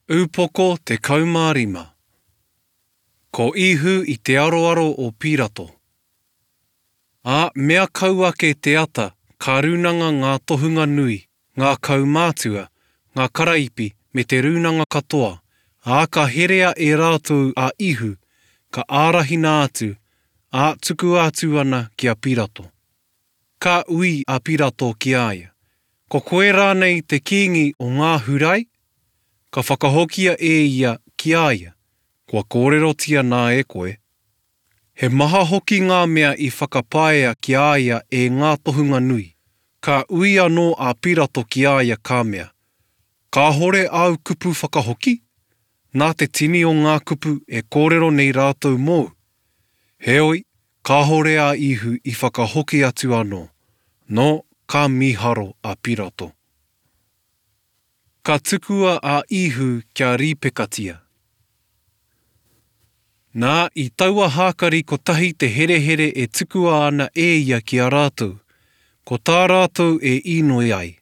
Upoko 15. Ko Ihu i te aroaro o Pirato. Ā, mea kau ake te ata, ka rūnanga ngā tohunga nui, ngā kaumātua, ngā karaipi me te rūnanga katoa, ā, ka herea e rātou a Ihu, ka ārahina atu, ā, tukua atu ana ki a Pirato. Ka ui a Pirato ki a ia, Ko koe rānei te kīngi o ngā Hurai? Ka whakahokia e ia ki a ia, Kua kōrerotia nā e koe. He maha hoki ngā mea i whakapaea ki a ia e ngā tohunga nui. Ka ui anō a Pirato ki a ia ka mea, Kāhore āu kupu whakahoki? Nā te tini o ngā kupu e kōrero nei rātou mōu. Heoi, kāhore a Ihu i whakahoki atu anō, nō, ka mīharo a Pirato. Ka tukua a Ihu kia rīpekatia. Nā, i taua hākari kotahi te herehere e tukua ana e ia ki a rātou, ko tā rātou e īnoi ai.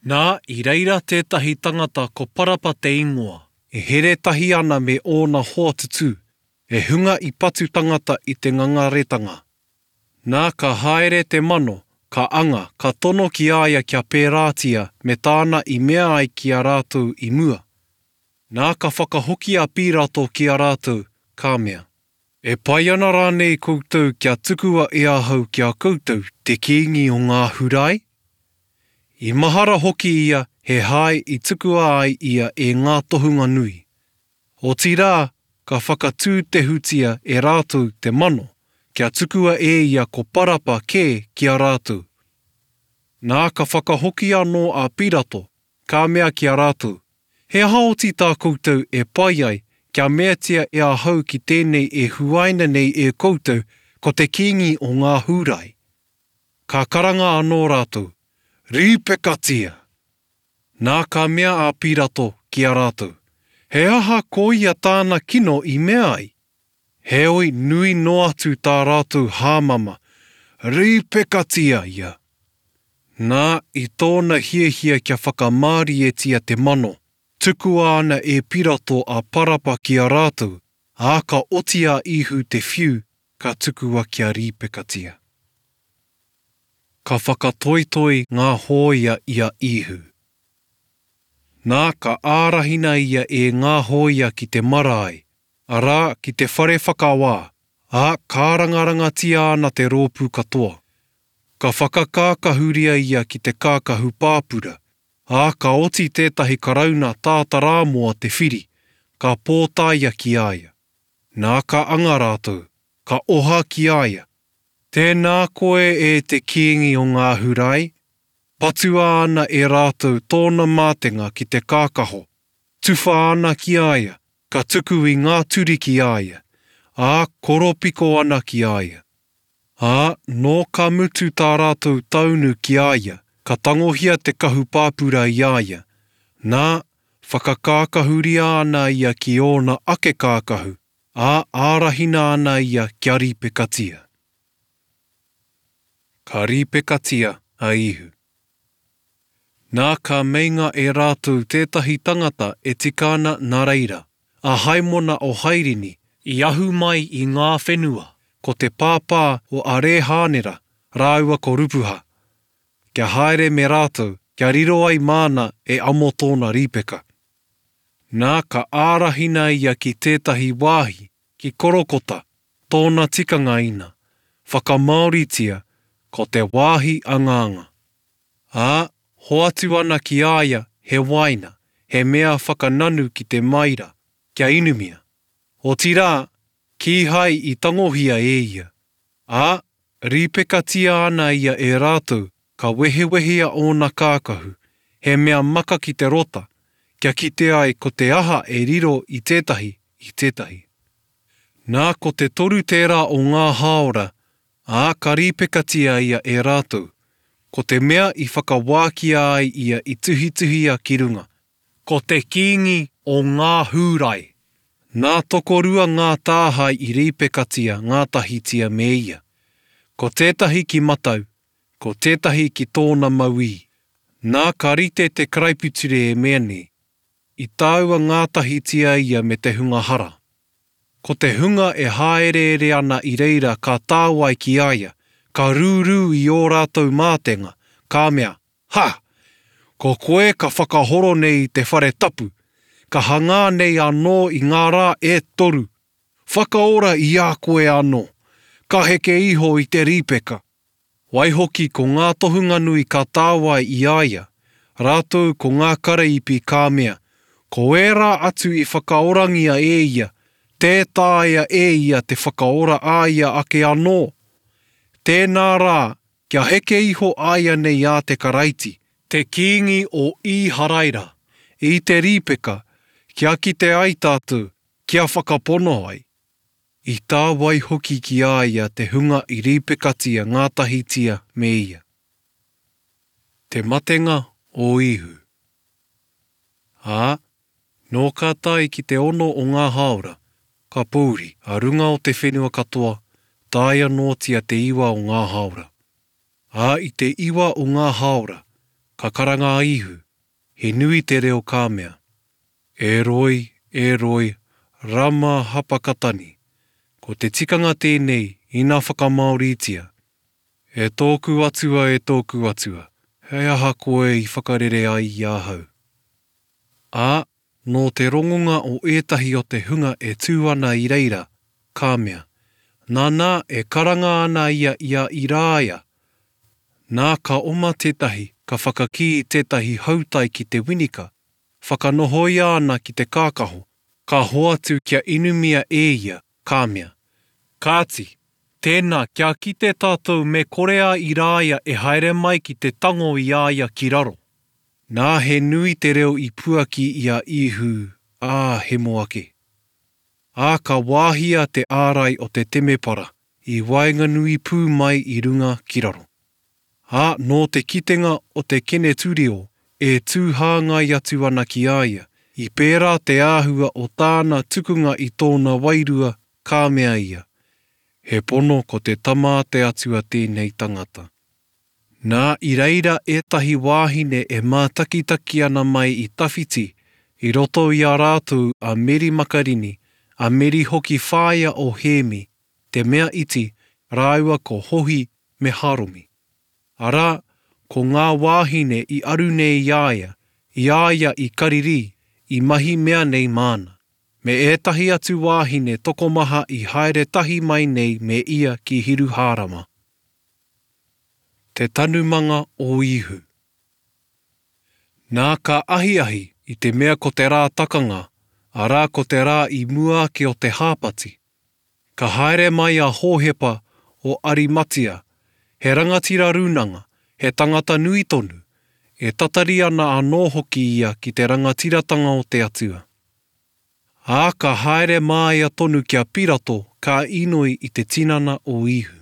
Nā, i reira tētahi tangata ko Parapa te ingoa, e here tahi ana me ōna hoa tutū, he hunga i patu tangata i te ngangaretanga. Nā, ka haere te mano, ka anga, ka tono ki a ia kia pērātia me tāna i mea ai ki a rātou i mua. Nā, ka whakahoki a Pīrato ki a rātou, ka mea. E pai ana rānei koutou kia tukua e ahau ki a koutou te Kīngi o ngā Hurai? I mahara hoki ia he hae i tukua ai ia e ngā tohunga nui. Otirā, ka whakatūtehutia e rātou te mano, kia tukua e ia ko Parapa kē ki a rātou. Nā, ka whakahoki anō a Pirato, ka mea ki a rātou, He aha oti tā koutou e pai ai kia meatia e ahau ki tēnei e huaina nei e koutou ko te Kīngi o ngā Hūrai? Ka karanga anō rātou, Rīpekatia! Nā ka mea a Pirato ki a rātou, He aha koia tāna kino i mea ai? Heoi nui noa atu tā rātou hāmama, Rīpekatia ia! Nā, i tōna hiahia kia whakamārietia te mano, tukua ana e Pirato a Parapa ki a rātou, ā, ka oti a Īhu te whiu, ka tukua kia rīpekatia. Ka whakatoitoi ngā hōia i a Īhu. Nā, ka ārahina ia e ngā hōia ki te marae, arā, ki te whare whakawā, ā, kārangarangatia ana te rōpū katoa. Ka whakakākahuria ia ki te kākahu pāpura, ā, ka oti tētahi karauna tātarāmoa te whiri, ka pōtaia ki a ia. Nā ka anga rātou, ka oha ki a ia, Tēnā koe e te Kīngi o ngā Hurai! Patua ana e rātou tōna mātenga ki te kākaho, tuwha ana ki a ia, ka tuku i ngā turi ki a ia, ā, koropiko ana ki a ia. Ā, nō ka mutu tā rātou taunu ki a ia, ka tangohia te kahu pāpura i a ia, nā, whakakākahuria ana ia ki ōna ake kākahu, ā, ārahina ana ia kia rīpekatia. Ka rīpekatia a Īhu. Nā, ka meinga e rātou tētahi tangata e tika ana nā reira, a Haimona o Hairini, i ahu mai i ngā whenua, ko te pāpā o Arēhānera rāua ko Rupuha, kia haere me rātou, kia riro ai māna e amo tōna rīpeka. Nā, ka ārahina ia ki tētahi wāhi, ki Korokota, tōna tikanga ina, whakamāoritia, ko te wāhi angaanga. Ā, hoatu ana ki a ia he wāina, he mea whakananu ki te maira, kia inumia. Otirā, kīhai i tangohia e ia. Ā, rīpekatia ana ia e rātou, ka wehewehea ōna kākahu, he mea maka ki te rota, kia kite ai ko te aha e riro i tētahi, i tētahi. Nā, ko te toru tērā o ngā hāora, Ā, ka rīpekatia ia e rātou. Ko te mea i whakawākia ai ia i tuhituhia ki runga. Ko te Kīngi o ngā Hūrai. Nā tokorua ngā tāhae i rīpekatia ngātahitia me ia. Ko tētahi ki matau, ko tētahi ki tōna mauī. Nā ka rite te karaipiture e mea nei. i tāua ngātahitia ia me te hunga hara. Ko te hunga e hāereere ana i reira ka tāwai ki a ia, ka rūrū i ō rātou mātenga, ka mea, Ha! Ko koe ka whakahoro nei i te whare tapu, ka hangā nei anō i ngā rā e toru! Whakaora i a koe anō! Ka heke iho i te rīpeka! Waihoki ko ngā tohunga nui ka tāwai i a ia, rātou ko ngā karaipi ka mea, Ko ērā atu i whakaorangia e ia, tē taea e ia te whakaora a ia ake anō. Tēnā rā, kia heke iho āianei a te Karaiti, te Kīngi o Īharaira, i te rīpeka, kia kite ai tātou, kia whakapono ai. I tāwai hoki ki a ia te hunga i rīpekatia ngātahitia me ia. Te matenga o Īhu. Ā, nō ka tae ki te ono o ngā hāora, ka pōuri a runga o te whenua katoa, taea noatia te iwa o ngā hāora. Ā, i te iwa o ngā hāora, ka karanga a Īhu, he nui te reo ka mea, E roi, e roi, rama hapakatani. Ko te tikanga tēnei ina whakamāoritia, E tōku Atua, e tōku Atua, he aha koe i whakarere ai i ahau? Ā, nō te rongonga o ētahi o te hunga e tū ana i reira, ka mea, Nanā, e karanga ana ia i a Irāia. Nā, ka oma tētahi, ka whakakī i tētahi hautai ki te winika, Whakanohoia ana ki te kākaho, ka hoatu kia inumia e ia, ka mea, Kāti, tēnā, kia kite tātou me kore a Irāia e haere mai ki te tango i a ia ki raro. Nā he nui te reo i puaki i a Īhu, ā, hemo ake. Ā, ka wāhia te ārai o te temepara i waenganui pū mai i runga ki raro. Ā, nō te kitenga o te Keneturio e tū hāngai atu ana ki a ia, i pērā te āhua o tāna tukunga i tōna wairua, ka mea ia, He pono ko te Tama a te Atua tēnei tangata. Nā, i reira ētahi wāhine e mātakitaki ana mai i tawhiti, i roto i a rātou a Meri Makarini, a Meri hoki whāia o Hēmi, te mea iti, rāua ko Hohi me Haromi. Arā, ko ngā wāhine i aru nei i a ia, i a ia i Karirī, i mahi mea nei māna, me ētahi atu wāhine tokomaha i haere tahi mai nei me ia ki Hiruhārama. Te tanumanga o Īhu. Nā, ka ahiahi, i te mea ko te rā takanga, arā ko te rā i mua ake o te hāpati, Ka haere mai a Hōhepa o Arimatia, he rangatira rūnanga, he tangata nui tonu, e tatari ana anō hoki ia ki te rangatiratanga o te Atua. Ā, ka haere māia tonu ki a Pirato ka inoi i te tinana o Īhu.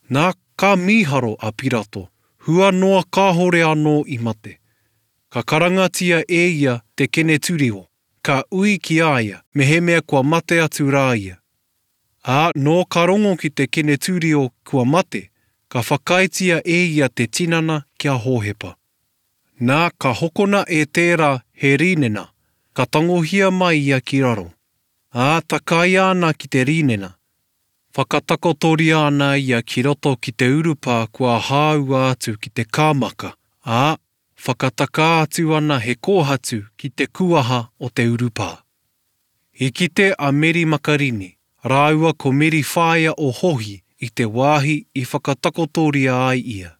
Nā, ka mīharo a Pirato, hua noa kāhore anō i mate. Ka karangatia e ia te Keneturio, ka ui ki a ia mehemea kua mate atu rā ia. Ā, nō ka rongo ki te Keneturio kua mate, ka whakaaetia e ia te tinana ki a Hōhepa. Nā, ka hokona e tērā he rīnena, ka tangohia mai ia ki raro. Ā, takaia ana ki te rīnena, whakatakotoria ana ia ki roto ki te urupā kua hāua atu ki te kāmaka, ā, Whakatakā atu ana he kōhatu ki te kuaha o te urupā. I kite a Meri Makarini rāua ko Meri whaea o Hohi i te wāhi i whakatakotoria ai ia.